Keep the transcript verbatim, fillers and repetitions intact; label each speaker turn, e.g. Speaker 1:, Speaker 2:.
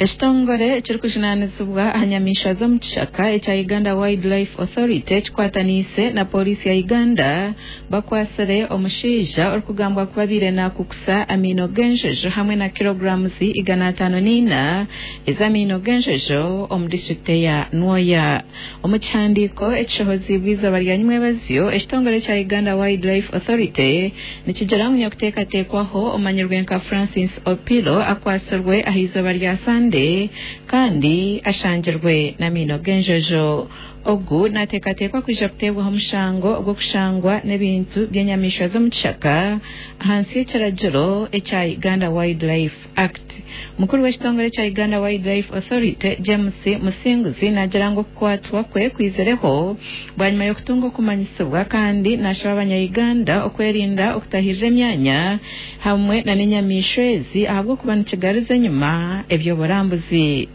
Speaker 1: Ekitongore ekirikujunaanizibwa aha nyamaishwa z'omu kishaka ekya Uganda Wildlife Authority kikwataniise na pooriisi ya Uganda bakwatsire omushaija orikugambwa kuba abaire nakukusa amaino g'enjojo hamwe na kiloguramuzi igana ataano n'ina ez'amaino g'enjojo omu disiturikiti eya Nwoya. Omu kihandiiko ekishohoziibwe eizooba rya nyimwebazyo, ekitongore ekya Uganda Wildlife Authority nikigira ngu nyakuteekateekwaho omanyirwe nka Francis Opilo akwatsirwe aha izooba rya Sande kandi ashangirwe n'amaino g'enjojo. Ogu nateekateekwa kwija kuteebwaho omushango ogw'okushangwa n'ebintu by'enyamaishwa z'omu kishaka ahansi y'ekiragiro ekya Uganda Wildlife Act. Mukuru w'ekitongore ekya Uganda Wildlife Authority James Musinguzi naagira ngu okukwatwa kwe kwizireho bwanyima y'okutunga okumanyisibwa kandi nashaba abanya-Uganda okwerinda okutahirira emyanya hamwe na n'enyamaishwa ezi ahabw'okuba nikigariza enyima eby'oburambuzi.